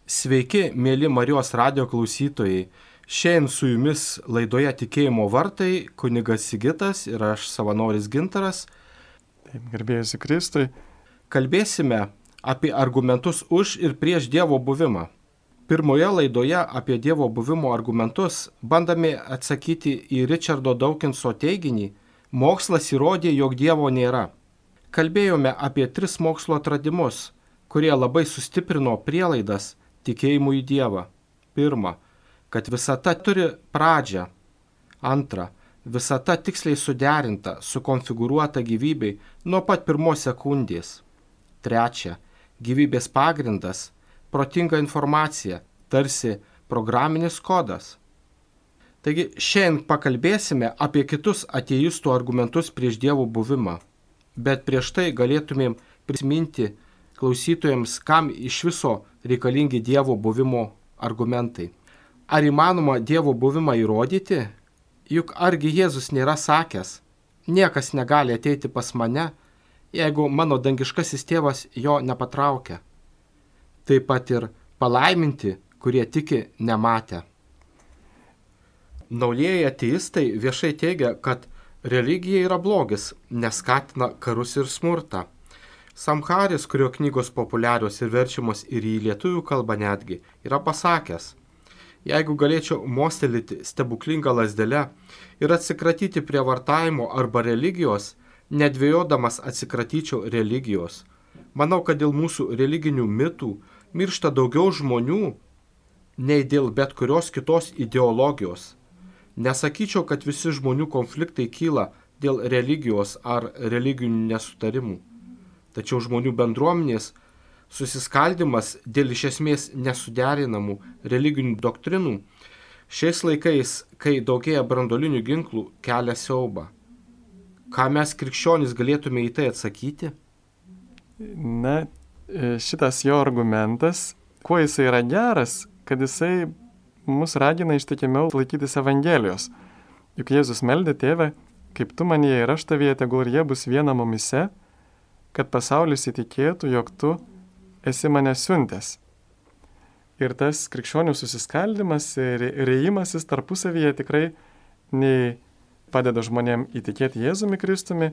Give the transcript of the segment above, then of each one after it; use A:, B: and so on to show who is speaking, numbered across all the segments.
A: Sveiki, mėly Marijos radijo klausytojai. Šiandien su jumis laidoje Tikėjimo vartai kunigas Sigitas ir aš savanoris Gintaras.
B: Taip, garbėjusi Kristui.
A: Kalbėsime apie argumentus už ir prieš Dievo buvimą. Pirmoje laidoje apie Dievo buvimo argumentus bandame atsakyti į Richardo Dawkinso teiginį: mokslas įrodė, jog Dievo nėra. Kalbėjome apie 3 mokslo atradimus, kurie labai sustiprino prielaidas tikėjimui į Dievą. 1. Kad visata turi pradžią. 2. Visata tiksliai suderinta, sukonfigūruota gyvybei nuo pat pirmos sekundės. 3. Gyvybės pagrindas – protinga informacija, tarsi programinis kodas. Taigi šiandien pakalbėsime apie kitus ateistų argumentus prieš Dievo buvimą. Bet prieš tai galėtumėm prisiminti klausytojams, kam iš viso reikalingi Dievo buvimo argumentai. Ar įmanoma Dievo buvimą įrodyti? Juk argi Jėzus nėra sakęs: niekas negali ateiti pas mane, jeigu mano dangiškasis tėvas jo nepatraukia. Taip pat ir palaiminti, kurie tiki nematę. Naujieji ateistai viešai teigia, kad religija yra blogis, neskatina karus ir smurtą. Sam Harris, kurio knygos populiarios ir verčiamos ir į lietuvių kalbą netgi, yra pasakęs: jeigu galėčiau mostelėti stebuklingą lazdelę ir atsikratyti prievartavimo arba religijos, nedvejodamas atsikratyčiau religijos. Manau, kad dėl mūsų religinių mitų miršta daugiau žmonių, nei dėl bet kurios kitos ideologijos. Nesakyčiau, kad visi žmonių konfliktai kyla dėl religijos ar religinių nesutarimų. Tačiau žmonių bendruomenės susiskaldimas dėl iš esmės nesuderinamų religinių doktrinų šiais laikais, kai daugėja branduolinių ginklų, kelia siaubą. Ką mes krikščionys galėtume į tai atsakyti?
B: Na, šitas jo argumentas, kuo jisai yra geras, kad jisai mus ragina ištikimiau laikytis Evangelijos. Juk Jėzus meldė: Tėve, kaip tu manyje ir aš tavyje, tegul ir jie bus viena mumyse, kad pasaulis įtikėtų, jog tu esi mane siuntęs. Ir tas krikščionių susiskaldimas ir rėjimasis tarpusavyje tikrai nei padeda žmonėm įtikėti Jėzumi Kristumi,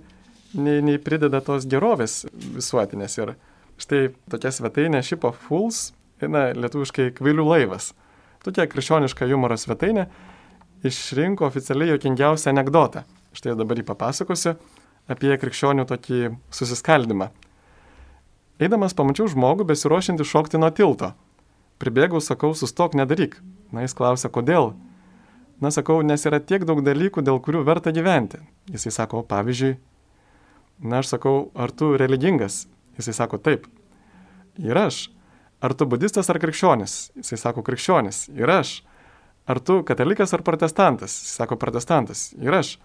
B: nei prideda tos gerovės visuotinės. Ir štai tokia svetainė Ship of Fools, lietuviškai kvailių laivas. Tokia krikščioniška humoro svetainė išrinko oficialiai juokingiausią anekdotą. Štai dabar jį papasakosiu apie krikščionių tokį susiskaldimą. Eidamas pamačiau žmogų besiruošiantį šokti nuo tilto. Pribėgau, sakau: sustok, nedaryk. Na, jis klausia: kodėl? Na, sakau, nes yra tiek daug dalykų, dėl kurių verta gyventi. Jisai sako: pavyzdžiui. Na, aš sakau: ar tu religingas? Jisai sako: taip. Ir aš. Ar tu budistas ar krikščionis? Jisai sako: krikščionis. Ir aš. Ar tu katalikas ar protestantas? Jisai sako: protestantas. Ir aš.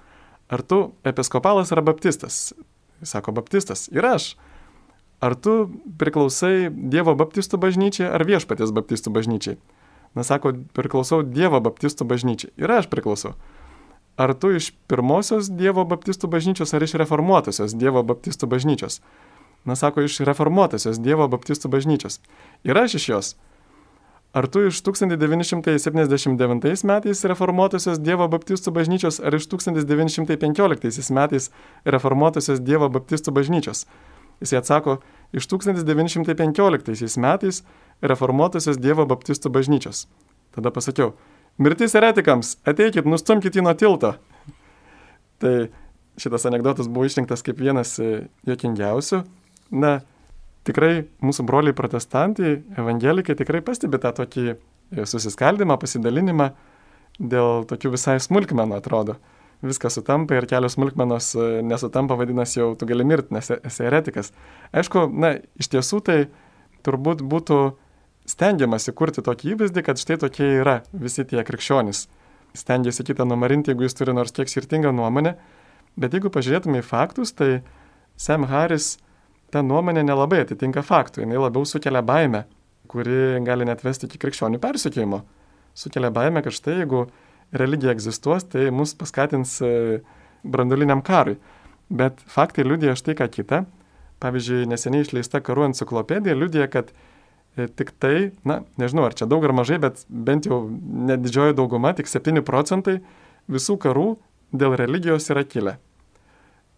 B: Ar tu episkopalas ar baptistas? Jis sako: baptistas. Ir aš. Ar tu priklausai Dievo baptistų bažnyčiai ar Viešpaties baptistų bažnyčiai? Na, sako: priklausau Dievo baptistų bažnyčiai. Ir aš priklausau. Ar tu iš pirmosios Dievo baptistų bažnyčios ar iš reformuotosios Dievo baptistų bažnyčios? Na, sako: iš reformuotosios Dievo baptistų bažnyčios. Ir aš iš jos. Ar tu iš 1979 metais reformuotosios Dievo baptistų bažnyčios ar iš 1915 metais reformuotosios Dievo baptistų bažnyčios? Jis atsako: iš 1915 metais reformuotosios Dievo baptistų bažnyčios. Tada pasakiau: mirtis eretikams, ateikit, nustumkit jį nuo tilto. Tai šitas anekdotas buvo išrinktas kaip vienas juokingiausių. Na, tikrai mūsų broliai protestantai, evangelikai tikrai pastebi tą tokį susiskaldimą, pasidalinimą dėl tokių visai smulkmenų, atrodo. Viskas sutampa ir kelios smulkmenos nesutampa, vadinasi, jau tu gali mirti, nes esi eretikas. Aišku, na, iš tiesų tai turbūt būtų stengiamasi kurti tokį įvaizdį, kad štai tokie yra visi tie krikščionys. Stengiasi kitą numarinti, jeigu jis turi nors kiek skirtingą nuomonę. Bet jeigu pažiūrėtume į faktus, tai Sam Harris ta nuomonė nelabai atitinka faktų. Jis labiau sukelia baimę, kuri gali net vesti iki krikščionių persekiojimo. Sukelia baimę, kad štai jeigu religija egzistuos, tai mus paskatins branduoliniam karui. Bet faktai liudija štai ką kitą. Pavyzdžiui, neseniai išleista karų enciklopedija liudija, kad Tik tai, nežinau, ar čia daug ar mažai, bet bent jau nedidžioji dauguma, tik 7 procentai visų karų dėl religijos yra kilę.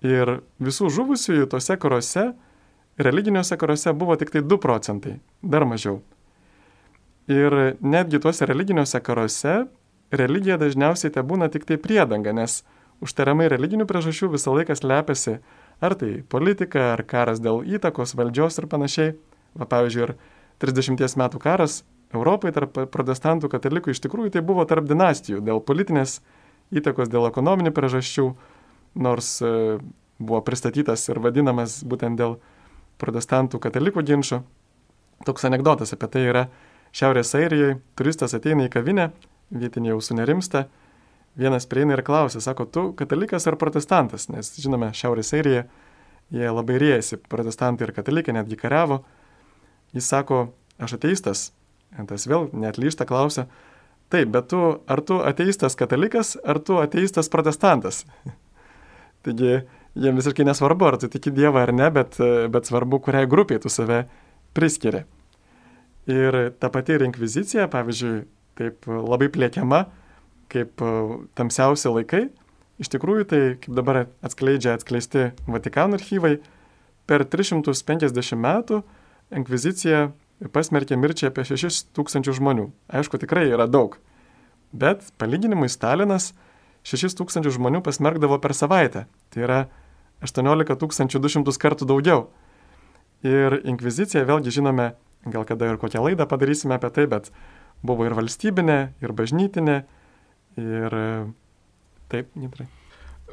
B: Ir visų žuvusiųjų tose karuose, religiniuose karuose buvo tik tai 2 procentai, dar mažiau. Ir netgi tuose religiniuose karuose religija dažniausiai te būna tik tai priedanga, nes užtariamai religinių priežasčių visą laiką slepiasi ar tai politika, ar karas dėl įtakos, valdžios ir panašiai. Pavyzdžiui, ir 30 metų karas Europai tarp protestantų katalikų iš tikrųjų tai buvo tarp dinastijų, dėl politinės įtakos, dėl ekonominių priežasčių, nors buvo pristatytas ir vadinamas būtent dėl protestantų katalikų ginčo. Toks anekdotas apie tai yra Šiaurės Airijoje, turistas ateina į kavinę, vietiniai jau sunerimsta, vienas prieina ir klausia, sako, tu katalikas ar protestantas, nes žinome, Šiaurės Airijoje jie labai riejasi, protestantai ir katalikai netgi kariavo. Jis sako, aš ateistas. Tas vėl neatlyžta klausia, taip, bet ar tu ateistas katalikas, ar tu ateistas protestantas? Taigi, jiems visiškai nesvarbu, ar tu tiki Dievą ar ne, bet svarbu, kuriai grupiai tu save priskiri. Ir ta pati ir inkvizicija, pavyzdžiui, taip labai plėkiama, kaip tamsiausi laikai. Iš tikrųjų, tai, kaip dabar atskleisti Vatikano archyvai, per 350 metų inkvizicija pasmerkė mirčiai apie 6000 žmonių. Aišku, tikrai yra daug. Bet palyginimui Stalinas 6000 žmonių pasmerkdavo per savaitę. Tai yra 18200 kartų daugiau. Ir inkvizicija, vėlgi žinome, gal kada ir kokią laidą padarysime apie tai, bet buvo ir valstybinė, ir bažnytinė, ir taip, Nitrai.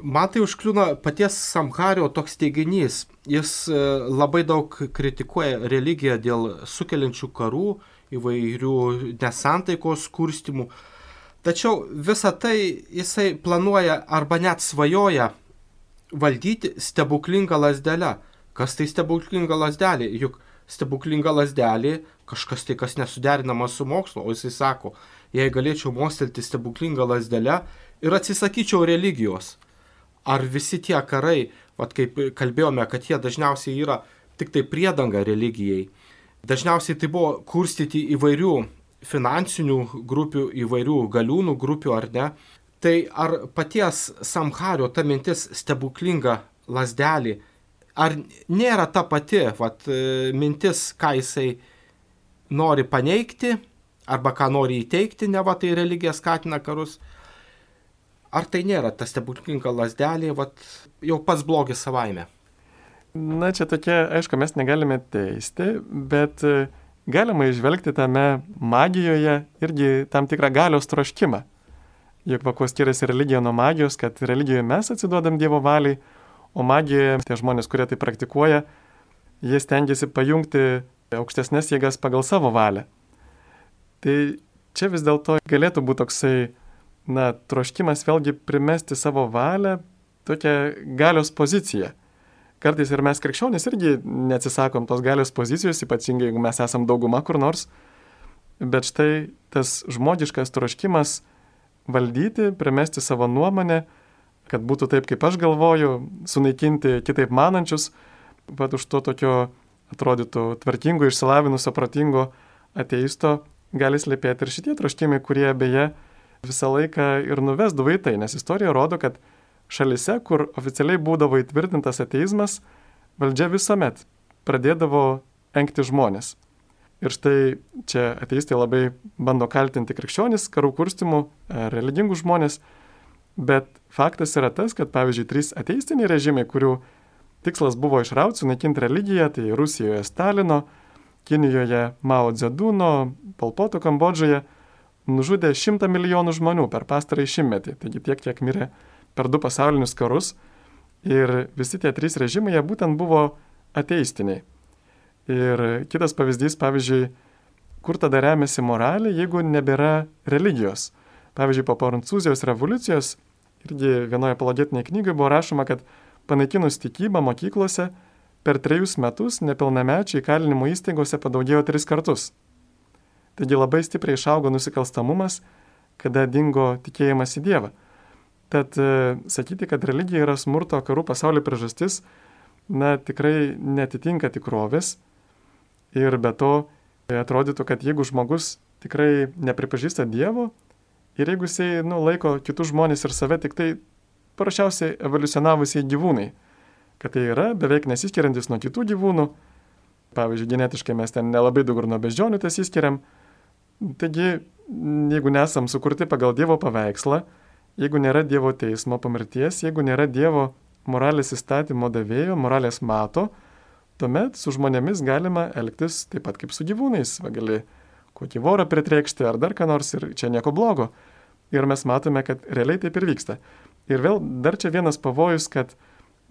A: Man tai užkliūna paties Samhario toks teiginys. Jis labai daug kritikuoja religiją dėl sukeliančių karų, įvairių nesantaikos kurstymų. Tačiau visą tai jisai planuoja arba net svajoja valdyti stebuklingą lazdelę. Kas tai stebuklinga lazdelė? Juk stebuklinga lazdelė kažkas tai, kas nesuderinama su mokslu. O jisai sako, jei galėčiau mostelti stebuklingą lazdelę ir atsisakyčiau religijos. Ar visi tie karai, kaip kalbėjome, kad jie dažniausiai yra tik tai priedanga religijai. Dažniausiai tai buvo kurstyti įvairių finansinių grupių, įvairių galiūnų grupių ar ne. Tai ar paties Samhario ta mintis stebuklinga lazdelė, ar nėra ta pati mintis, ką jisai nori paneigti, arba ką nori įteikti, neva tai religija skatina karus. Ar tai nėra ta stebuklinga lazdelė, jau pats blogis savaime?
B: Čia tokia, aišku, mes negalime teisti, bet galima išvelgti tame magijoje irgi tam tikrą galios troškimą. Juk kuo skiriasi religija nuo magijos, kad religijoje mes atsiduodam Dievo valiai, o magijoje tie žmonės, kurie tai praktikuoja, jie stengiasi pajungti aukštesnės jėgas pagal savo valią. Tai čia vis dėlto galėtų būti toksai troškimas vėlgi primesti savo valią, tokią galios poziciją. Kartais ir mes krikščionys irgi neatsisakom tos galios pozicijos, ypatingai jeigu mes esam dauguma kur nors, bet štai tas žmogiškas troškimas valdyti, primesti savo nuomonę, kad būtų taip, kaip aš galvoju, sunaikinti kitaip manančius, už to tokio atrodytų tvarkingo, išsilavinusio, protingo ateisto gali slypėti ir šitie troškimai, kurie beje visą laiką ir nuvesdavo į tai, nes istorija rodo, kad šalise, kur oficialiai būdavo įtvirtintas ateizmas, valdžia visuomet pradėdavo engti žmonės. Ir štai čia ateistai labai bando kaltinti krikščionis, karų kurstymų, religingus žmonės, bet faktas yra tas, kad pavyzdžiui 3 ateistiniai režimai, kurių tikslas buvo išrauti, sunaikinti religiją, tai Rusijoje Stalino, Kinijoje Mao Dzeduno, Pol Poto Kambodžoje, nužudė 100 milijonų žmonių per pastarąjį šimtmetį, taigi tiek, kiek mirė per 2 pasaulinius karus. Ir visi tie 3 režimai, jie būtent buvo ateistiniai. Ir kitas pavyzdys, pavyzdžiui, kur tada remiasi moralė, jeigu nebėra religijos. Pavyzdžiui, po Prancūzijos revoliucijos, irgi vienoje apologetinėje knygoje buvo rašoma, kad panaikinus tikybą mokyklose, per 3 metus nepilnamečiai įkalinimo įstaigose padaugėjo 3 kartus. Taigi labai stipriai išaugo nusikalstamumas, kada dingo tikėjimas į Dievą. Tad sakyti, kad religija yra smurto karų pasaulio priežastis, tikrai netitinka tikrovės. Ir be to, atrodytų, kad jeigu žmogus tikrai nepripažįsta Dievo ir jeigu jisai laiko kitus žmonės ir save tik tai paprasčiausiai evoliucionavusiai gyvūnai, kad tai yra beveik nesiskiriantis nuo kitų gyvūnų, pavyzdžiui, genetiškai mes ten nelabai daug ir nuo beždžionių tas įskiriam, taigi jeigu nesam sukurti pagal Dievo paveikslą, jeigu nėra Dievo teismo po mirties, jeigu nėra Dievo moralės įstatymo davėjo, moralės mato, tuomet su žmonėmis galima elgtis taip pat kaip su gyvūnais. Gali kokį vorą pritreikšti ar dar ką nors ir čia nieko blogo. Ir mes matome, kad realiai taip ir vyksta. Ir vėl dar čia vienas pavojus, kad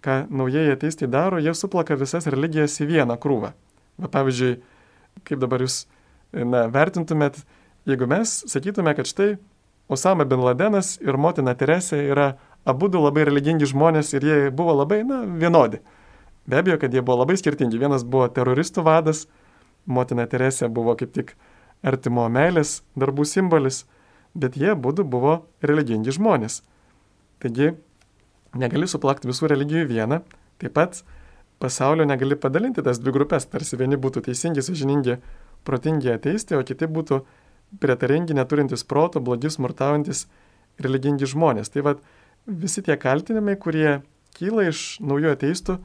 B: ką naujieji ateistai daro, jie suplaka visas religijas į vieną krūvą. Pavyzdžiui, kaip dabar jūs vertintumėt, jeigu mes sakytume, kad štai Osama bin Ladenas ir motina Teresė yra abudu labai religingi žmonės ir jie buvo labai vienodi. Be abejo, kad jie buvo labai skirtingi. Vienas buvo teroristų vadas, motina Teresė buvo kaip tik artimo meilės darbų simbolis, bet jie abudu buvo religingi žmonės. Taigi, negali suplakti visų religijų į vieną, taip pat pasaulio negali padalinti tas dvi grupės, tarsi vieni būtų teisingi, sąžiningi, protingi ateistai, o kiti būtų prietaringi, neturintys proto, blogi, smurtaujantis, religingi žmonės. Tai vat, visi tie kaltinimai, kurie kyla iš naujų ateistų,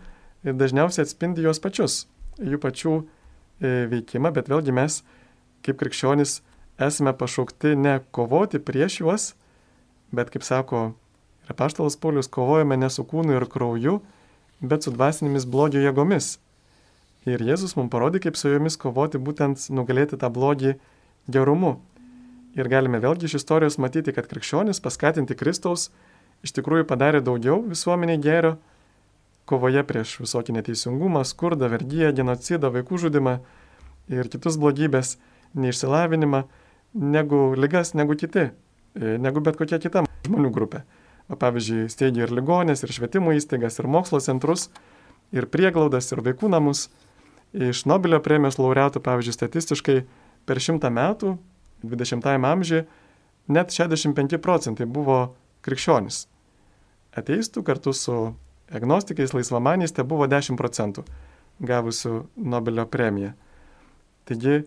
B: dažniausiai atspindi juos pačius, jų pačių veikimą, bet vėlgi mes, kaip krikščionys, esame pašaukti ne kovoti prieš juos, bet, kaip sako ir apaštalas Paulius, kovojame ne su kūnu ir krauju, bet su dvasinėmis blogio jėgomis. Ir Jėzus mums parodė, kaip su jomis kovoti, būtent nugalėti tą blogį gerumu. Ir galime vėlgi iš istorijos matyti, kad krikščionis paskatinti Kristaus iš tikrųjų padarė daugiau visuomeniai gėrio, kovoje prieš visokį neteisingumą, skurdą, vergiją, genocidą, vaikų žudimą ir kitus blogybės, neišsilavinimą, negu ligas, negu kiti, negu bet kokia kita žmonių grupė. Pavyzdžiui, steigia ir ligonės, ir švietimo įstaigas, ir mokslo centrus, ir prieglaudas, ir vaikų namus. Iš Nobelio premijos laureatų, pavyzdžiui, statistiškai per 100 metų, 20-ajame amžiuje, net 65% buvo krikščionys. Ateistų kartu su agnostikais, laisvamaniais, tai buvo 10% gavusių Nobelio premiją. Taigi,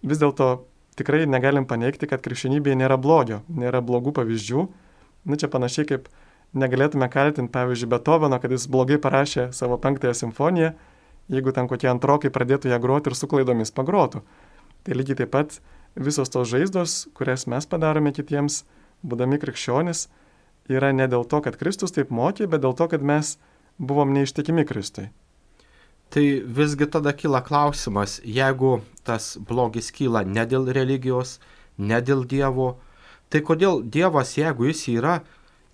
B: vis dėlto tikrai negalim paneigti, kad krikščionybėje nėra blogio, nėra blogų pavyzdžių. Čia panašiai kaip negalėtume kaltinti, pavyzdžiui, Beethoveno, kad jis blogai parašė savo 5-ąją simfoniją, jeigu ten kokie antrokai pradėtų ją groti ir su klaidomis pagrotų. Tai lygiai taip pat visos tos žaizdos, kurias mes padarome kitiems, būdami krikščionis, yra ne dėl to, kad Kristus taip mokė, bet dėl to, kad mes buvom neištikimi Kristui.
A: Tai visgi tada kyla klausimas, jeigu tas blogis kyla ne dėl religijos, ne dėl Dievo, tai kodėl Dievas, jeigu jis yra,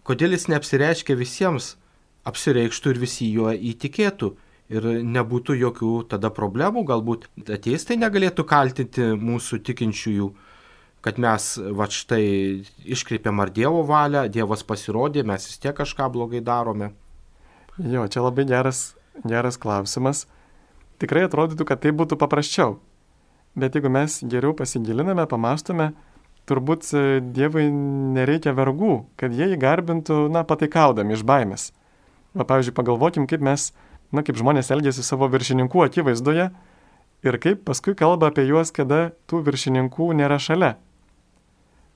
A: kodėl jis neapsireiškia visiems, apsireikštų ir visi juo įtikėtų ir nebūtų jokių tada problemų, galbūt ateistai negalėtų kaltinti mūsų tikinčiųjų, kad mes štai iškreipiam ar Dievo valią, Dievas pasirodė, mes vis tiek kažką blogai darome.
B: Jo, čia labai geras klausimas. Tikrai atrodytų, kad tai būtų paprasčiau. Bet jeigu mes geriau pasigiliname, pamastome, turbūt Dievui nereikia vergų, kad jie jį garbintų, pataikaudami iš baimės. Pavyzdžiui, pagalvokim, kaip mes, kaip žmonės elgiasi savo viršininkų akivaizdoje ir kaip paskui kalba apie juos, kada tų viršininkų nėra šalia.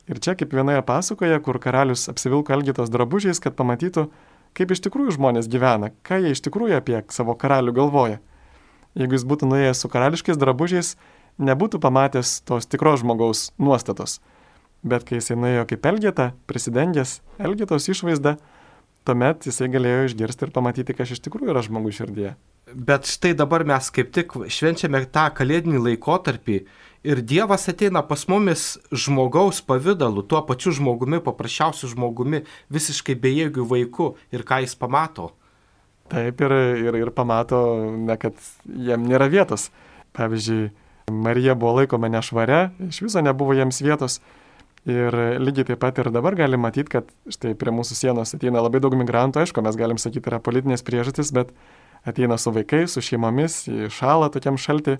B: Ir čia kaip vienoje pasakoje, kur karalius apsivilko Elgetos drabužiais, kad pamatytų, kaip iš tikrųjų žmonės gyvena, ką jie iš tikrųjų apie savo karalių galvoja. Jeigu jis būtų nuėjęs su karališkais drabužiais, nebūtų pamatęs tos tikros žmogaus nuostatos. Bet kai jisai nuėjo kaip Elgeta, prisidengęs Elgetos išvaizdą, tuomet jisai galėjo išgirsti ir pamatyti, kas iš tikrųjų yra žmogus širdyje.
A: Bet štai dabar mes kaip tik švenčiame tą kalėdinį laikotarpį ir Dievas ateina pas mumis žmogaus pavidalu, tuo pačiu žmogumi, paprasčiausiu žmogumi, visiškai bejėgiu vaiku ir ką jis pamato.
B: Taip ir pamato, kad jam nėra vietos. Pavyzdžiui, Marija buvo laikoma nešvaria, iš viso nebuvo jiems vietos. Ir lygiai taip pat ir dabar galim matyti, kad štai prie mūsų sienos ateina labai daug migrantų, aišku, mes galim sakyti, yra politinės priežastys, bet ateina su vaikais, su šeimomis, šąla tokiam šaltį.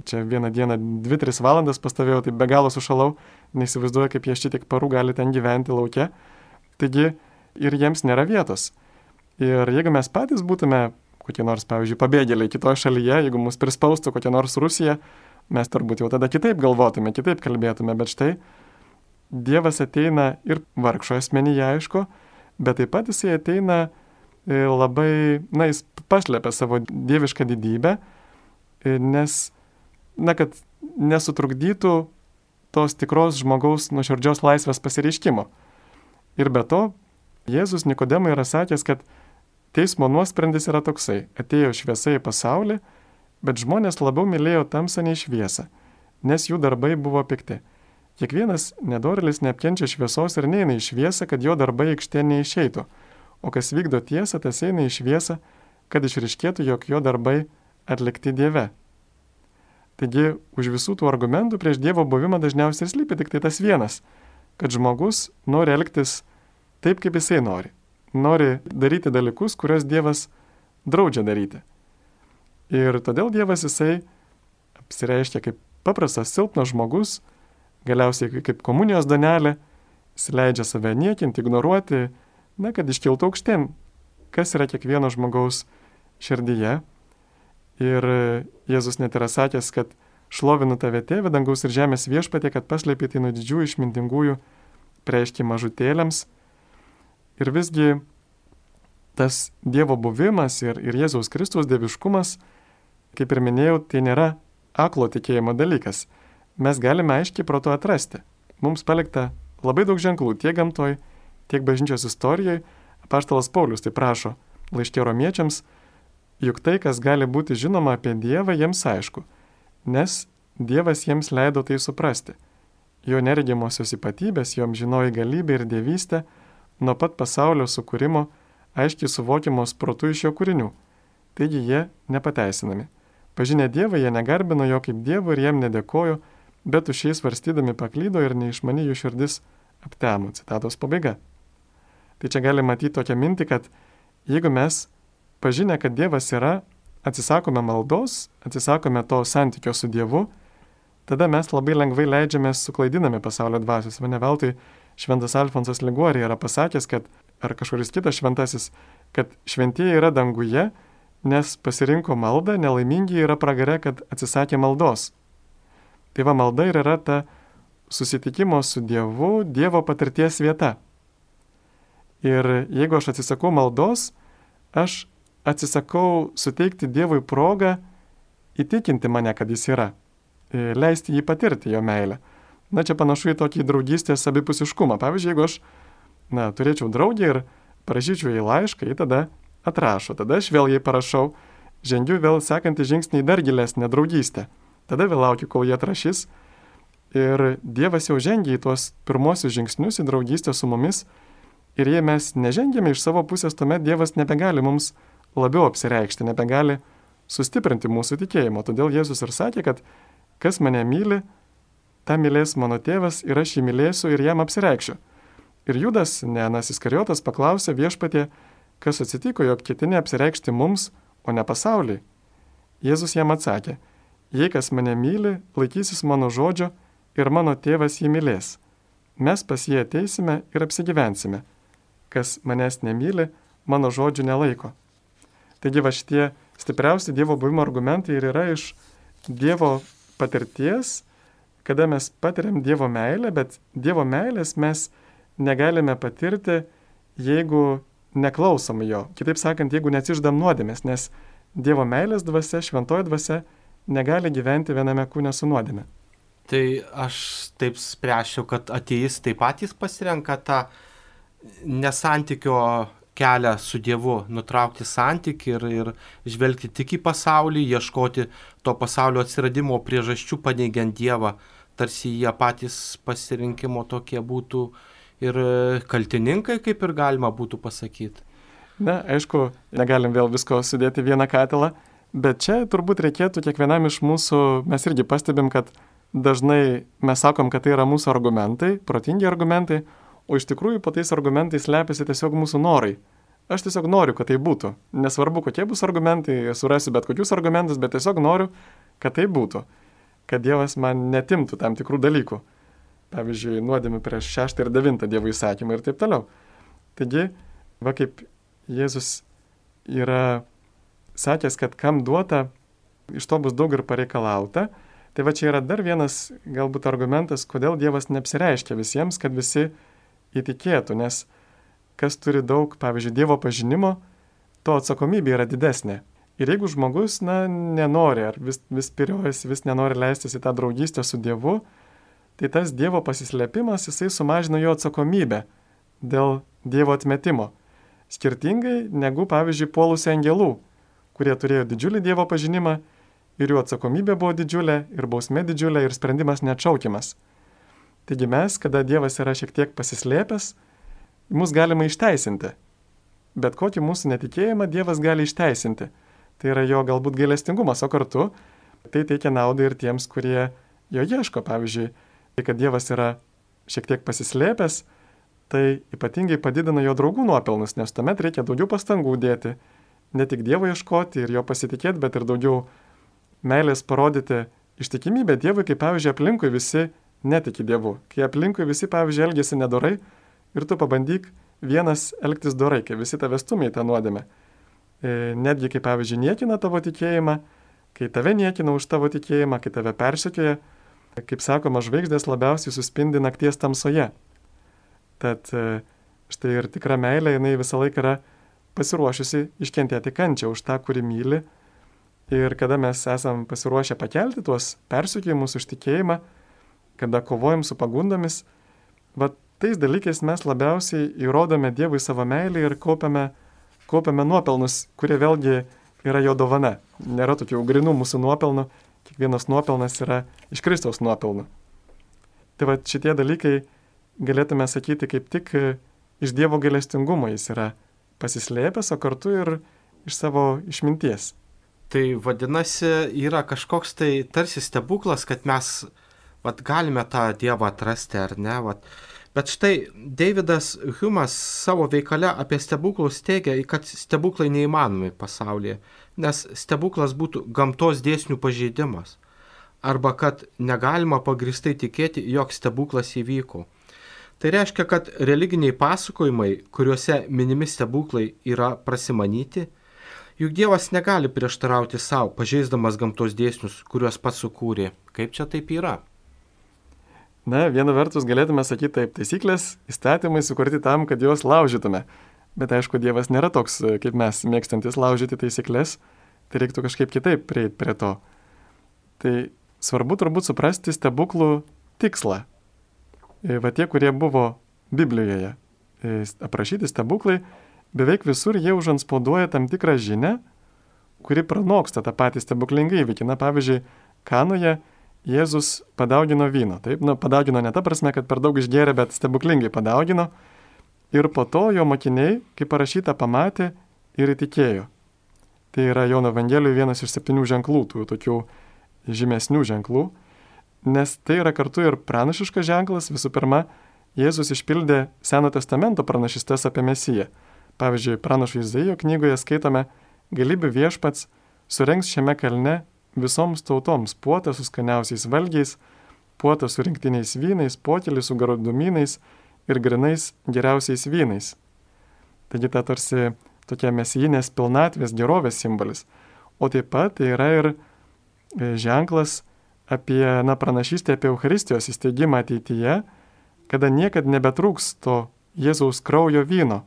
B: Čia vieną dieną 2-3 valandas pastovėjau, tai be galo sušalau, neįsivaizduoju, kaip jie šitiek parų gali ten gyventi lauke. Taigi ir jiems nėra vietos. Ir jeigu mes patys būtume kokie nors, pavyzdžiui, pabėgėliai kitoje šalyje, jeigu mus prispaustų kokia nors Rusija, mes turbūt jau tada kitaip galvotume, kitaip kalbėtume, bet štai Dievas ateina ir vargšo asmenyje, aišku, bet taip pat jisai ateina labai, jis pašlepia savo dievišką didybę, nes, kad nesutrukdytų tos tikros žmogaus nuoširdžios laisvės pasireiškimo. Ir be to, Jėzus Nikodemui yra sakęs, kad teismo nuosprendis yra toksai: atėjo šviesa į pasaulį, bet žmonės labiau mylėjo tamsą nei šviesą, nes jų darbai buvo pikti. Kiekvienas nedorėlis neapkenčia šviesos ir neina į šviesą, kad jo darbai aikštė neišeitų, o kas vykdo tiesą, tas eina į šviesą, kad išryškėtų, jog jo darbai atlikti Dieve. Taigi, už visų tų argumentų prieš Dievo buvimą dažniausiai slypi tik tai tas vienas, kad žmogus nori elgtis taip, kaip jisai nori. Nori daryti dalykus, kuriuos Dievas draudžia daryti. Ir todėl Dievas jisai apsireiškia kaip paprastas silpnas žmogus, galiausiai kaip komunijos duonelė, jis leidžia save niekinti, ignoruoti, kad iškiltų aukštyn, kas yra kiekvieno žmogaus širdyje. Ir Jėzus net yra sakęs, kad šlovinu tave, Tėve, dangaus ir žemės viešpatie, kad paslėpei tai nuo didžiųjų išmintingųjų, preiški mažutėliams. Ir visgi tas Dievo buvimas ir Jėzaus Kristaus dieviškumas, kaip ir minėjau, tai nėra aklo tikėjimo dalykas. Mes galime aiškiai pro to atrasti. Mums palikta labai daug ženklų tiek gamtoj, tiek bažnyčios istorijoje. Apaštalas Paulius tai prašo laiške Romiečiams, juk tai, kas gali būti žinoma apie Dievą, jiems aišku, nes Dievas jiems leido tai suprasti. Jo neregimosios ypatybės, jo amžinoji galybė ir dievystė nuo pat pasaulio sukūrimo aiškiai suvokiamos protu iš jo kūrinių. Taigi jie nepateisinami. Pažinę Dievą, jie negarbino jo kaip Dievo ir jam nedėkojo, bet už šiais svarstydami paklydo ir neišmani jų širdis aptemo. Citatos pabaiga. Tai čia gali matyti tokią mintį, kad jeigu mes pažinę, kad Dievas yra, atsisakome maldos, atsisakome to santykio su Dievu, tada mes labai lengvai leidžiamės suklaidinami pasaulio dvasios. Ne veltui šventas Alfonsas Liguori yra pasakęs, kad, ar kažkuris kitas šventasis, kad šventieji yra danguje, nes pasirinko maldą, nelaimingi yra pragare, kad atsisakė maldos. Tai va, malda ir yra ta susitikimo su Dievu, Dievo patirties vieta. Ir jeigu aš atsisakau maldos, aš atsisakau suteikti Dievui progą įtikinti mane, kad jis yra, leisti jį patirti, jo meilę. Čia panašu į tokį draugystės abipusiškumą. Pavyzdžiui, jeigu aš turėčiau draugį ir parašyčiau jai laišką, jį tada atrašo, tada aš vėl jai parašau, žengiu vėl sekantį žingsnį į dar gilesnę draugystę. Tada vėl laukiu, kol jie atrašys. Ir Dievas jau žengia į tuos pirmosius žingsnius į draugystę su mumis. Ir jei mes nežengėme iš savo pusės, tuomet Dievas nebegali mums labiau apsireikšti, nebegali sustiprinti mūsų tikėjimo. Todėl Jėzus ir sakė, kad kas mane myli, tą mylės mano tėvas ir aš jį mylėsiu ir jam apsireikšiu. Ir Judas, ne Anas Iskariotas, paklausė viešpatie, kas atsitiko, jog ketini apsireikšti mums, o ne pasauliui. Jėzus jam atsakė, jei kas mane myli, laikysis mano žodžio ir mano tėvas jį mylės. Mes pas jį ateisime ir apsigyvensime. Kas manęs nemyli, mano žodžių nelaiko. Taigi va šitie stipriausi Dievo buvimo argumentai ir yra iš Dievo patirties, kada mes patiriam Dievo meilę, bet Dievo meilės mes negalime patirti, jeigu neklausom jo. Kitaip sakant, jeigu neatsiždam nuodėmės, nes Dievo meilės dvasia, šventoji dvasia negali gyventi viename kūne su nuodėme.
A: Tai aš taip spręšiu, kad ateistai patys pasirenka tą nesantykio kelią su Dievu, nutraukti santykį ir žvelgti tik į pasaulį, ieškoti to pasaulio atsiradimo priežasčių paneigiant Dievą, tarsi jie patys pasirinkimo tokie būtų ir kaltininkai, kaip ir galima būtų pasakyti.
B: Aišku, negalim vėl visko sudėti vieną katilą, bet čia turbūt reikėtų kiekvienam iš mūsų, mes irgi pastebim, kad dažnai mes sakom, kad tai yra mūsų argumentai, protingi argumentai, o iš tikrųjų po tais argumentais slepiasi tiesiog mūsų norai. Aš tiesiog noriu, kad tai būtų. Nesvarbu, kokie bus argumentai, surasiu bet kokius argumentus, bet tiesiog noriu, kad tai būtų. Kad Dievas man netimtų tam tikrų dalykų. Pavyzdžiui, nuodėmių prieš 6 ir 9 Dievo įsakymą ir taip toliau. Taigi, va kaip Jėzus yra sakęs, kad kam duota, iš to bus daug ir pareikalauta, Tai va čia yra dar vienas galbūt argumentas, kodėl Dievas neapsireiškia visiems, kad visi įtikėtų, nes kas turi daug, pavyzdžiui, Dievo pažinimo, to atsakomybė yra didesnė. Ir jeigu žmogus, nenori, ar vis piriojasi, vis nenori leistis į tą draugystę su Dievu, tai tas Dievo pasislėpimas, jisai sumažina jo atsakomybę dėl Dievo atmetimo. Skirtingai negu, pavyzdžiui, puolusių angelų, kurie turėjo didžiulį Dievo pažinimą ir jų atsakomybė buvo didžiulė, ir bausmė didžiulė, ir sprendimas neatšaukiamas. Taigi mes, kada Dievas yra šiek tiek pasislėpęs, mus galima išteisinti. Bet kokį mūsų netikėjimą Dievas gali išteisinti. Tai yra jo galbūt gailestingumas, o kartu tai teikia naudą ir tiems, kurie jo ieško. Pavyzdžiui, tai, kad Dievas yra šiek tiek pasislėpęs, tai ypatingai padidina jo draugų nuopelnus, nes tuomet reikia daugiau pastangų dėti, ne tik Dievo ieškoti ir jo pasitikėti, bet ir daugiau meilės parodyti ištikimybę Dievui, kai, pavyzdžiui, aplinkui visi netiki Dievu. Kai aplinkui visi, pavyzdžiui, elgesi nedorai ir tu pabandyk vienas elgtis dorai, kai visi tave stumia į tą nuodėmę. Netgi, kai, pavyzdžiui, niekina tavo tikėjimą, kai tave niekina už tavo tikėjimą, kai tave persekioja, kaip sakoma, žvaigždės labiausiai suspindi nakties tamsoje. Tad štai ir tikra meilė, jinai visą laiką yra pasiruošusi iškentėti kančią už tą, kurį myli. Ir kada mes esam pasiruošę pakelti tuos persekiojimus už tikėjimą, kada kovojam su pagundomis, tais dalykais mes labiausiai įrodome Dievui savo meilę ir kaupiame nuopelnus, kurie vėlgi yra jo dovana. Nėra tokių grinų mūsų nuopelnų, kiekvienas nuopelnas yra iš Kristaus nuopelnų. Tai šitie dalykai galėtume sakyti kaip tik iš Dievo gailestingumo jis yra pasislėpęs, o kartu ir iš savo išminties.
A: Tai vadinasi, yra kažkoks tai tarsi stebuklas, kad mes galime tą Dievą atrasti, ar ne? Bet štai Davidas Humas savo veikale apie stebuklus teigia, kad stebuklai neįmanomi pasaulyje, nes stebuklas būtų gamtos dėsnių pažeidimas, arba kad negalima pagristai tikėti, jog stebuklas įvyko. Tai reiškia, kad religiniai pasakojimai, kuriuose minimi stebuklai, yra prasimanyti, juk Dievas negali prieštarauti savo, pažeisdamas gamtos dėsnius, kuriuos pats sukūrė. Kaip čia taip yra?
B: Viena vertus galėtume sakyti taip, taisyklės, įstatymai sukurti tam, kad juos laužytume. Bet aišku, Dievas nėra toks, kaip mes, mėgstantis laužyti taisyklės, tai reiktų kažkaip kitaip prieiti prie to. Tai svarbu turbūt suprasti stebuklų tikslą. Tie, kurie buvo Biblijoje aprašyti stebuklai, beveik visur jie užantspauduoja tam tikrą žinią, kuri pranoksta tą patį stebuklingą įvykį. Pavyzdžiui, Kanoje Jėzus padaugino vyno. Taip, padaugino ne ta prasme, kad per daug išgėrė, bet stebuklingai padaugino. Ir po to jo mokiniai, kaip parašyta, pamatė ir įtikėjo. Tai yra Jono Evangelijoje vienas iš 7 ženklų, tų tokių žymesnių ženklų. Nes tai yra kartu ir pranašiškas ženklas. Visų pirma, Jėzus išpildė Seno testamento pranašystes apie Mesiją. Pavyzdžiui, pranašo Izaijo knygoje skaitome: Galybių viešpats surengs šiame kalne visoms tautoms puotą su skaniausiais valgiais, puotą su rinktiniais vynais, pokelį su gardumynais ir grinais geriausiais vynais. Taigi ta tarsi tokia mesijinės pilnatvės gerovės simbolis. O taip pat tai yra ir ženklas apie pranašystę apie Eucharistijos įsteigimą ateityje, kada niekad nebetrūks to Jėzaus kraujo vyno,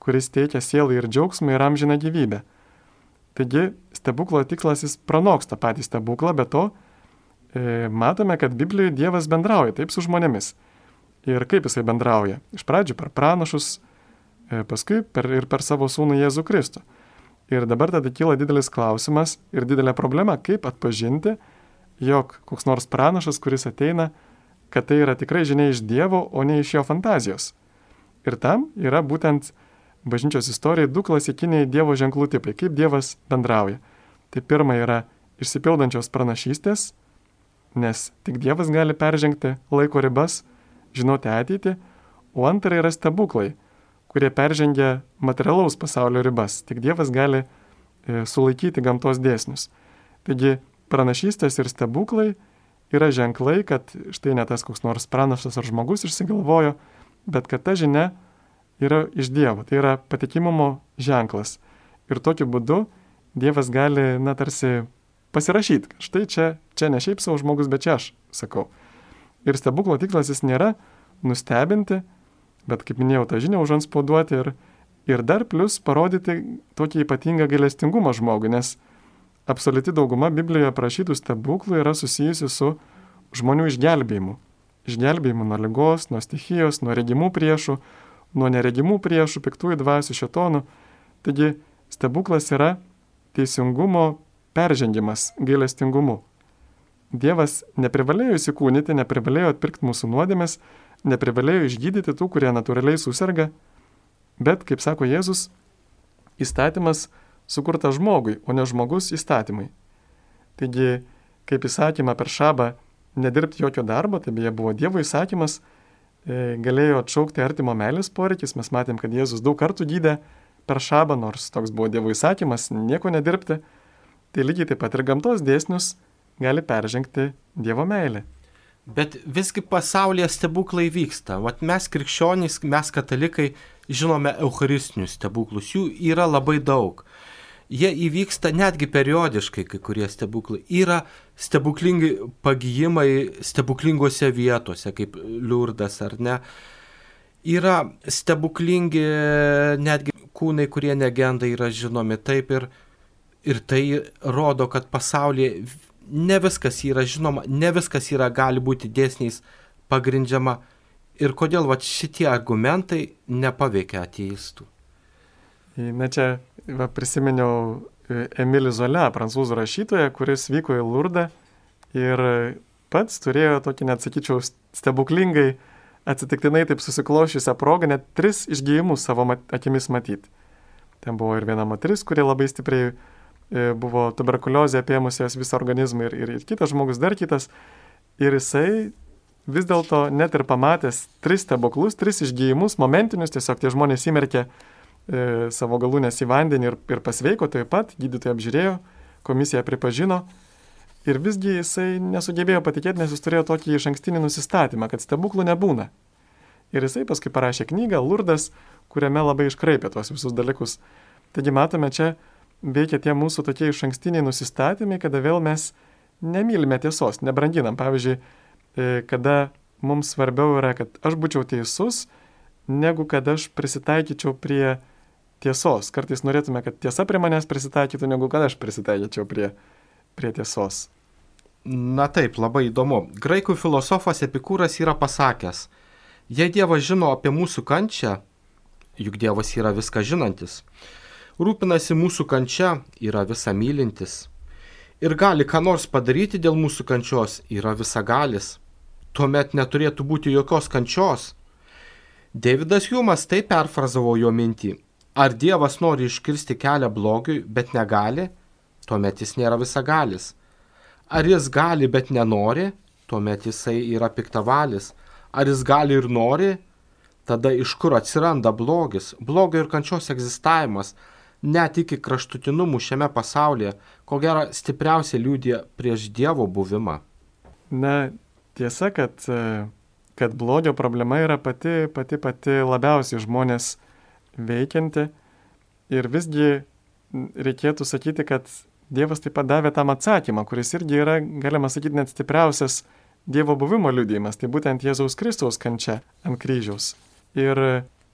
B: kuris teikia sielai ir džiaugsmą ir amžiną gyvybę. Taigi stebuklo tikslas jis pranoksta patį stebuklą, bet to matome, kad Biblijoje Dievas bendrauja taip su žmonėmis. Ir kaip jisai bendrauja? Iš pradžių per pranašus, paskui per savo sūnų Jėzų Kristų. Ir dabar tada kyla didelis klausimas ir didelė problema, kaip atpažinti, jog koks nors pranašas, kuris ateina, kad tai yra tikrai žinia iš Dievo, o ne iš jo fantazijos. Ir tam yra būtent bažnyčios istorijai 2 klasikiniai Dievo ženklų tipai, kaip Dievas bendrauja. Tai pirma yra išsipildančios pranašystės, nes tik Dievas gali peržengti laiko ribas, žinoti ateitį, o antra yra stebuklai, kurie peržengia materialaus pasaulio ribas. Tik Dievas gali sulaikyti gamtos dėsnius. Taigi pranašystės ir stebuklai yra ženklai, kad štai ne tas koks nors pranašas ar žmogus išsigalvojo, bet kad ta žinia yra iš Dievo, tai yra patikimumo ženklas. Ir tokiu būdu Dievas gali, tarsi pasirašyti. Štai čia ne šiaip savo žmogus, bet čia aš sakau. Ir stebuklo tikslas jis nėra nustebinti, bet kaip minėjau, tą žinią užantspauduoti ir dar plus parodyti tokį ypatingą gailestingumą žmogui, nes absoliuti dauguma Biblijoje aprašytų stebuklų yra susijusi su žmonių išgelbėjimu. Išgelbėjimu nuo ligos, nuo stichijos, nuo regimų priešų, nuo neregimų priešų, piktųjų dvasių, šėtonų. Taigi stebuklas yra teisingumo peržengimas gailestingumu. Dievas neprivalėjo įsikūnyti, neprivalėjo atpirkti mūsų nuodėmės, neprivalėjo išgydyti tų, kurie natūraliai susirga, bet, kaip sako Jėzus, įstatymas sukurtas žmogui, o ne žmogus įstatymai. Taigi, kaip įsakymą per šabą nedirbti jokio darbo, tai beje buvo Dievo įsakymas, galėjo atšaukti artimo meilės poreikis. Mes matėm, kad Jėzus daug kartų gydė per šabą, nors toks buvo Dievo įsakymas, nieko nedirbti. Tai lygiai taip pat ir gamtos dėsnius gali peržengti Dievo meilė.
A: Bet visgi pasaulyje stebuklai vyksta. Vat mes krikščionys, mes katalikai žinome eucharistinius stebuklus. Jų yra labai daug. Jie įvyksta netgi periodiškai, kai kurie stebuklai. Yra stebuklingi pagijimai stebuklingose vietose, kaip Liurdas ar ne. Yra stebuklingi netgi kūnai, kurie negenda, yra žinomi taip ir tai rodo, kad pasaulyje ne viskas yra žinoma, ne viskas yra gali būti dėsniais pagrindžiama. Ir kodėl šitie argumentai nepaveikia ateistų?
B: Na čia prisiminiau Emilį Zola, prancūzų rašytoją, kuris vyko į Lurdą ir pats turėjo tokį, net sakyčiau, stebuklingai atsitiktinai taip susiklošiusią progą net 3 išgijimus savo akimis matyti. Ten buvo ir viena moteris, kuri labai stipriai buvo tuberkuliozė apėmusios visą organizmą ir kitas žmogus dar kitas. Ir jisai vis dėlto net ir pamatęs 3 stebuklus, 3 išgijimus, momentinius, tiesiog tie žmonės įmerkė savo galūnės į vandenį ir pasveiko taip pat, gydytojai apžiūrėjo, komisija pripažino. Ir visgi jisai nesugebėjo patikėti, nes jis turėjo tokį išankstinį nusistatymą, kad stebuklų nebūna. Ir jisai paskui parašė knygą Lurdas, kuriame labai iškraipė tuos visus dalykus. Taigi matome, čia veikia tie mūsų tokie išankstiniai nusistatymai, kada vėl mes nemylime tiesos, nebranginam. Pavyzdžiui, kada mums svarbiau yra, kad aš būčiau teisus, negu kad aš prisitaikyčiau prie tiesos. Kartais norėtume, kad tiesa prie manęs prisitaikytų, negu kad aš prisitaikyčiau prie tiesos.
A: Na taip, labai įdomu. Graikų filosofas Epikūras yra pasakęs, jei Dievas žino apie mūsų kančią, juk Dievas yra viską žinantis, rūpinasi mūsų kančia, yra visa mylintis ir gali ką nors padaryti dėl mūsų kančios, yra visagalis, tuomet neturėtų būti jokios kančios. Davidas Hjumas taip perfrazavo jo mintį. Ar Dievas nori iškirsti kelią blogiui, bet negali, tuomet jis nėra visagalis. Ar jis gali, bet nenori, tuomet jisai yra piktavalis. Ar jis gali ir nori, tada iš kur atsiranda blogis, blogio ir kančios egzistavimas, net iki kraštutinumų šiame pasaulyje, ko gero stipriausiai liudija prieš Dievo buvimą.
B: Na, tiesa, kad blogio problema yra pati labiausiai žmonės veikianti ir visgi reikėtų sakyti, kad Dievas taip pat davė tam atsakymą, kuris irgi yra, galima sakyti, net stipriausias Dievo buvimo liudijimas, tai būtent Jėzaus Kristaus kančia ant kryžiaus. Ir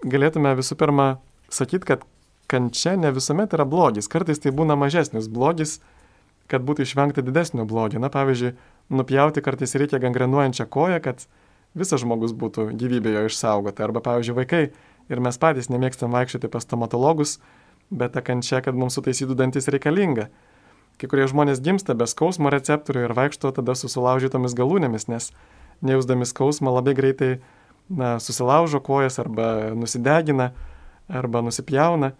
B: galėtume visų pirma sakyti, kad kančia ne visuomet yra blogis, kartais tai būna mažesnis blogis, kad būtų išvengta didesnio blogio. Na, pavyzdžiui, nupjauti kartais reikia gangrenuojančią koją, kad visas žmogus būtų gyvybė jo išsaugota. Arba, pavyzdžiui, vaikai ir mes patys nemėgstam vaikščioti pas stomatologus, bet ta kančia, kad mums sutaisytų dantis reikalinga. Kai kurie žmonės gimsta be skausmo receptorių ir vaikšto tada su sulaužytomis galūnėmis, nes nejausdami skausmą labai greitai susilaužo kojas arba nusidegina arba nusipjauna.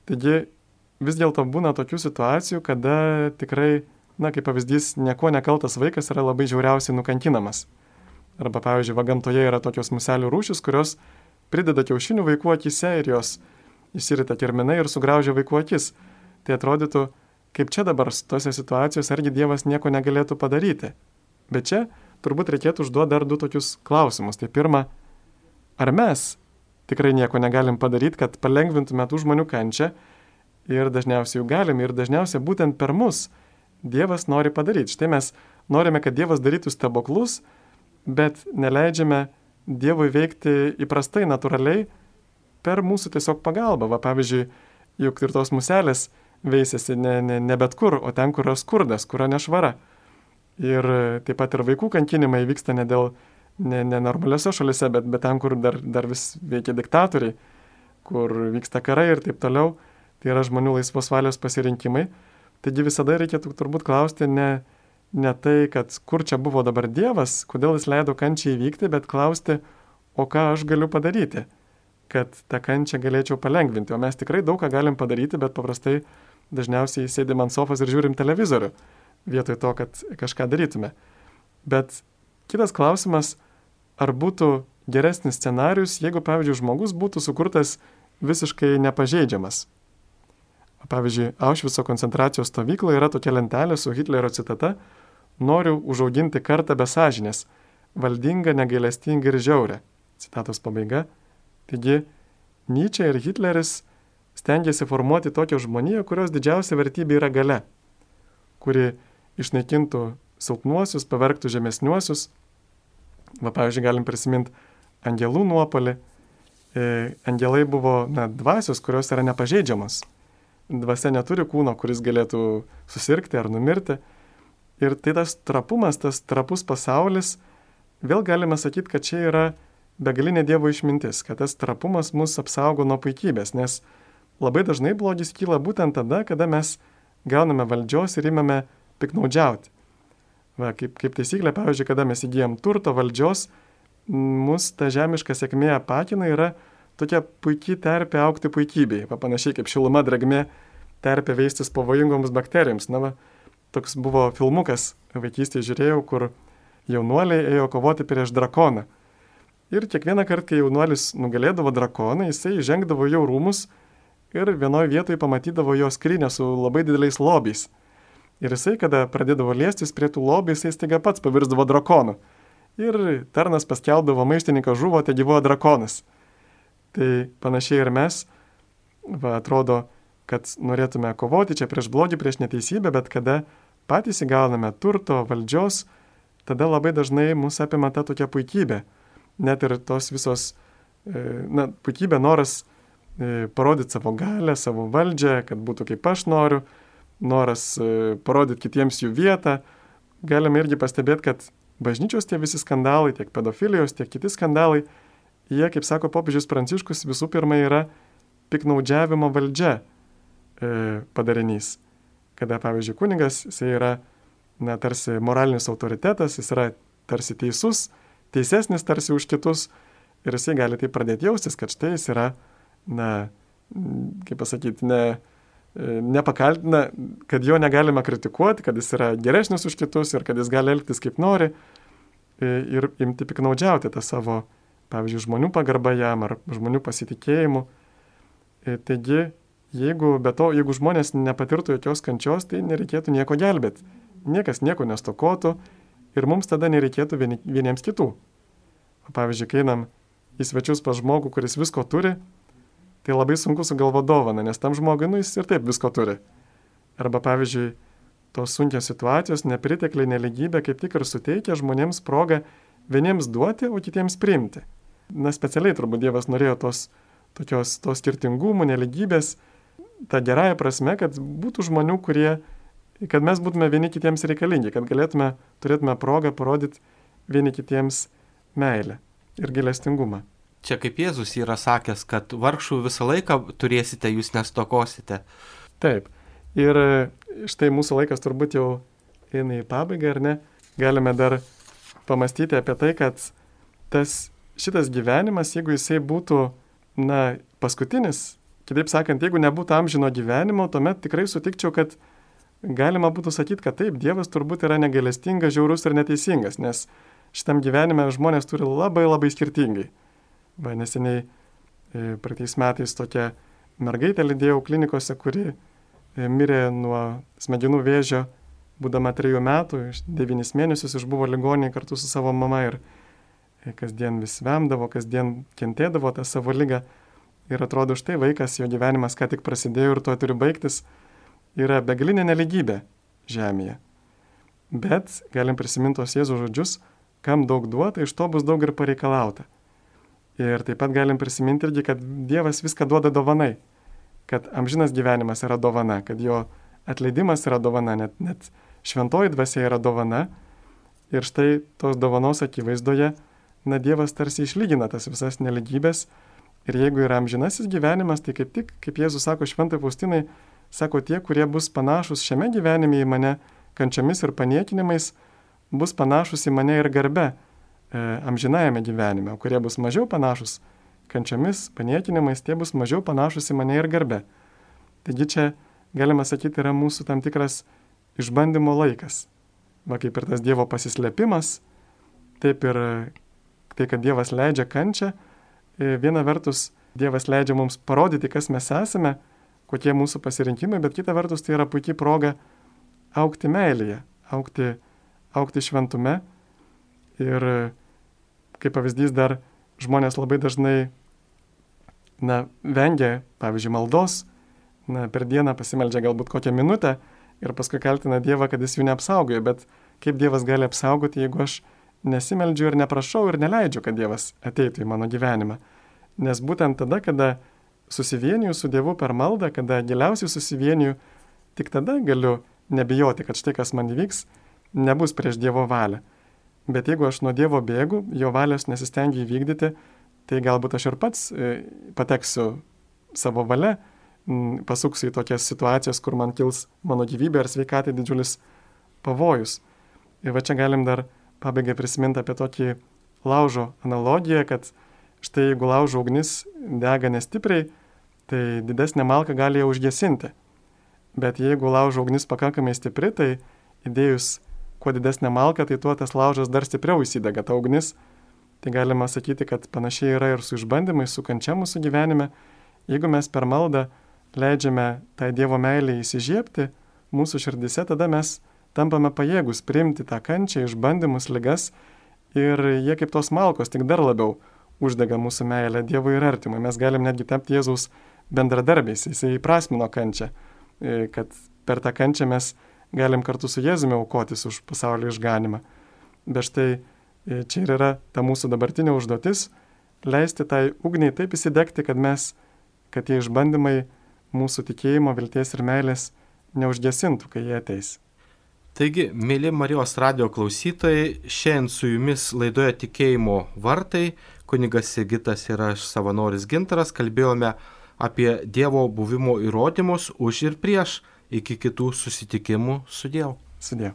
B: Taigi vis dėlto būna tokių situacijų, kada tikrai, kaip pavyzdys, nieko nekaltas vaikas yra labai žiauriausiai nukankinamas. Arba, pavyzdžiui, gamtoje yra tokios muselių rūšys, kurios prideda kiaušinių vaikų akise ir jos išsirita kirminai ir sugraužia vaikų akis. Tai atrodytų, kaip čia dabar tose situacijose argi Dievas nieko negalėtų padaryti. Bet čia turbūt reikėtų užduoti dar 2 tokius klausimus. Tai pirma, ar mes tikrai nieko negalim padaryti, kad palengvintume tų žmonių kančią ir dažniausiai jų galim ir dažniausiai būtent per mus Dievas nori padaryti. Štai mes norime, kad Dievas darytų stebuklus, bet neleidžiame Dievui veikti įprastai, natūraliai, per mūsų tiesiog pagalbą. Va, pavyzdžiui, juk ir tos muselės veisiasi ne bet kur, o ten, kur yra skurdas, kur yra nešvara. Ir taip pat ir vaikų kankinimai vyksta ne normaliuose šalise, bet ten, kur dar vis veikia diktatoriai, kur vyksta karai ir taip toliau. Tai yra žmonių laisvos valios pasirinkimai. Taigi visada reikėtų turbūt klausti ne tai, kad kur čia buvo dabar Dievas, kodėl jis leido kančiai įvykti, bet klausti, o ką aš galiu padaryti, kad tą kančią galėčiau palengvinti. O mes tikrai daug ką galim padaryti, bet paprastai dažniausiai sėdim ant sofos ir žiūrim televizorių, vietoj to, kad kažką darytume. Bet kitas klausimas, ar būtų geresnis scenarius, jeigu, pavyzdžiui, žmogus būtų sukurtas visiškai nepažeidžiamas. Pavyzdžiui, Aušvico koncentracijos stovykloje yra tokia lentelė su Hitlerio citata: noriu užauginti kartą be sąžinės, valdingą, negailestingą ir žiaurę. Citatos pabaiga. Taigi, Nyčė ir Hitleris stengiasi formuoti tokią žmoniją, kurios didžiausia vertybė yra galia, kuri išnaikintų silpnuosius, pavergtų žemesniuosius. Va, pavyzdžiui, galim prisiminti angelų nuopolį. Angelai buvo dvasios, kurios yra nepažeidžiamos. Dvasia neturi kūno, kuris galėtų susirgti ar numirti. Ir tai tas trapumas, tas trapus pasaulis, vėl galime sakyti, kad čia yra begalinė Dievo išmintis, kad tas trapumas mus apsaugo nuo puikybės, nes labai dažnai blogis kyla būtent tada, kada mes gauname valdžios ir imame piknaudžiauti. Va, kaip taisyklė, pavyzdžiui, kada mes įgyjam turto, valdžios, mus ta žemiška sėkmė apakina, yra tokia puikiai terpė augti puikybei, panašiai kaip šiluma, drėgmė terpė veistis pavojingoms bakterijoms. Na, va, toks buvo filmukas, vaikystėje žiūrėjau, kur jaunuoliai ėjo kovoti prieš drakoną. Ir kiekvieną kartą, kai jaunuolis nugalėdavo drakoną, jisai žengdavo jau rūmus ir vienoje vietoje pamatydavo jo skrynią su labai dideliais lobiais. Ir jisai, kada pradėdavo liestis prie tų lobių, jisai staiga pats pavirsdavo drakonu. Ir tarnas paskelbdavo: maištininkas žuvo, te gyvojo drakonas. Tai panašiai ir mes, atrodo, kad norėtume kovoti čia prieš blogį, prieš neteisybę, bet kada patys įgauname turto, valdžios, tada labai dažnai mus apima ta tokia puikybė. Net ir tos visos, puikybė, noras parodyti savo galę, savo valdžią, kad būtų kaip aš noriu, noras parodyti kitiems jų vietą. Galime irgi pastebėti, kad bažnyčios tie visi skandalai, tiek pedofilijos, tiek kiti skandalai, jie, kaip sako popiežius Pranciškus, visų pirma yra piknaudžiavimo valdžia padarinys. Kada, pavyzdžiui, kunigas, jisai yra tarsi moralinis autoritetas, jis yra tarsi teisus, teisesnis tarsi už kitus, ir jisai gali tai pradėti jaustis, kad štai jis yra, kaip pasakyti, nepakaltina, kad jo negalima kritikuoti, kad jis yra geresnis už kitus ir kad jis gali elgtis kaip nori ir imti piknaudžiauti tą savo, pavyzdžiui, žmonių pagarbą jam ar žmonių pasitikėjimu. Taigi, jeigu žmonės nepatirtų jokios kančios, tai nereikėtų nieko gelbėti. Niekas nieko nestokotų ir mums tada nereikėtų vieniems kitų. Pavyzdžiui, kai einam į svečius pas žmogų, kuris visko turi, tai labai sunku sugalvoti dovaną, nes tam žmogui, jis ir taip visko turi. Arba, pavyzdžiui, tos sunkios situacijos, nepritekliai, neligybė kaip tik ir suteikia žmonėms progą vieniems duoti, o kitiems priimti. Specialiai turbūt Dievas norėjo tos skirtingumų, neligybės, tą gerąją prasme, kad būtų žmonių, kad mes būtume vieni kitiems reikalingi, kad turėtume progą parodyti vieni kitiems meilę ir gailestingumą.
A: Čia kaip Jėzus yra sakęs, kad vargšų visą laiką turėsite, jūs nestokosite.
B: Taip. Ir štai mūsų laikas turbūt jau eina į pabaigą, ar ne? Galime dar pamastyti apie tai, kad šitas gyvenimas, jeigu jisai būtų, paskutinis, kitaip sakant, jeigu nebūtų amžino gyvenimo, tuomet tikrai sutikčiau, kad galima būtų sakyti, kad taip, Dievas turbūt yra negailestingas, žiaurus ir neteisingas, nes šitam gyvenime žmonės turi labai labai skirtingai. Neseniai praeitais metais tokia mergaitė lydėjau klinikose, kuri mirė nuo smegenų vėžio, būdama 3 metų, 9 mėnesius išbuvo ligoninėje kartu su savo mama ir kasdien vis vemdavo, kasdien kentėdavo tą savo ligą. Ir atrodo, štai vaikas, jo gyvenimas ką tik prasidėjo ir to turi baigtis. Yra begalinė neligybė žemėje. Bet galim prisiminti tos Jėzaus žodžius, kam daug duota, iš to bus daug ir pareikalauta. Ir taip pat galim prisiminti irgi, kad Dievas viską duoda dovanai, kad amžinas gyvenimas yra dovana, kad jo atleidimas yra dovana, net šventoji dvasia yra dovana. Ir štai tos dovanos akivaizdoje, Dievas tarsi išlygina tas visas neligybės. Ir jeigu yra amžinasis gyvenimas, tai kaip tik, kaip Jėzus sako šventai Faustinai, sako tie, kurie bus panašus šiame gyvenime į mane kančiomis ir paniekinimais, bus panašus į mane ir garbe amžinajame gyvenime, o kurie bus mažiau panašus kančiomis, paniekinimais, tie bus mažiau panašus į mane ir garbe. Taigi čia, galima sakyti, yra mūsų tam tikras išbandymo laikas. Va kaip ir tas Dievo pasislėpimas, taip ir tai, kad Dievas leidžia kančią. Viena vertus, Dievas leidžia mums parodyti, kas mes esame, kokie mūsų pasirinkimai, bet kita vertus, tai yra puikiai proga augti meilėje, augti šventume. Ir kaip pavyzdys dar žmonės labai dažnai vengia, pavyzdžiui, maldos, per dieną pasimeldžia galbūt kokią minutę ir paskui kaltina Dievą, kad jis jų neapsaugojo. Bet kaip Dievas gali apsaugoti, jeigu aš nesimeldžiu ir neprašau ir neleidžiu, kad Dievas ateitų į mano gyvenimą. Nes būtent tada, kada susivieniju su Dievu per maldą, kada giliausiai susivieniju, tik tada galiu nebijoti, kad štai kas man įvyks, nebus prieš Dievo valią. Bet jeigu aš nuo Dievo bėgu, jo valios nesistengiu įvykdyti, tai galbūt aš ir pats pateksiu savo valia, pasuksiu į tokias situacijas, kur man kils mano gyvybė ar sveikatai didžiulis pavojus. Ir va čia galim dar pabaigai prisiminti apie tokį laužo analogiją, kad štai jeigu laužo ugnis dega nestipriai, tai didesnė malka gali ją užgesinti. Bet jeigu laužo ugnis pakankamai stipri, tai įdėjus kuo didesnė malka, tai tuo tas laužas dar stipriau įsidega ta ugnis. Tai galima sakyti, kad panašiai yra ir su išbandymais, su kančia mūsų gyvenime. Jeigu mes per maldą leidžiame tai Dievo meilę įsižiebti mūsų širdise, tada mes tampame pajėgus priimti tą kančią, išbandymus, ligas ir jie kaip tos malkos tik dar labiau uždega mūsų meilę Dievui ir artimui. Mes galim netgi tapti Jėzaus bendradarbiais, jisai įprasmino kančią, kad per tą kančią mes galim kartu su Jėzumi aukotis už pasaulio išganimą. Bet štai čia ir yra ta mūsų dabartinė užduotis - leisti tai ugniai taip įsidegti, kad tie išbandymai mūsų tikėjimo, vilties ir meilės neužgesintų, kai jie ateis.
A: Taigi, mėly Marijos radijo klausytojai, šiandien su jumis laidoje Tikėjimo vartai, kunigas Sigitas ir aš savanoris Gintaras, kalbėjome apie Dievo buvimo įrodymus už ir prieš. Iki kitų susitikimų. Sudiev.
B: Sudiev.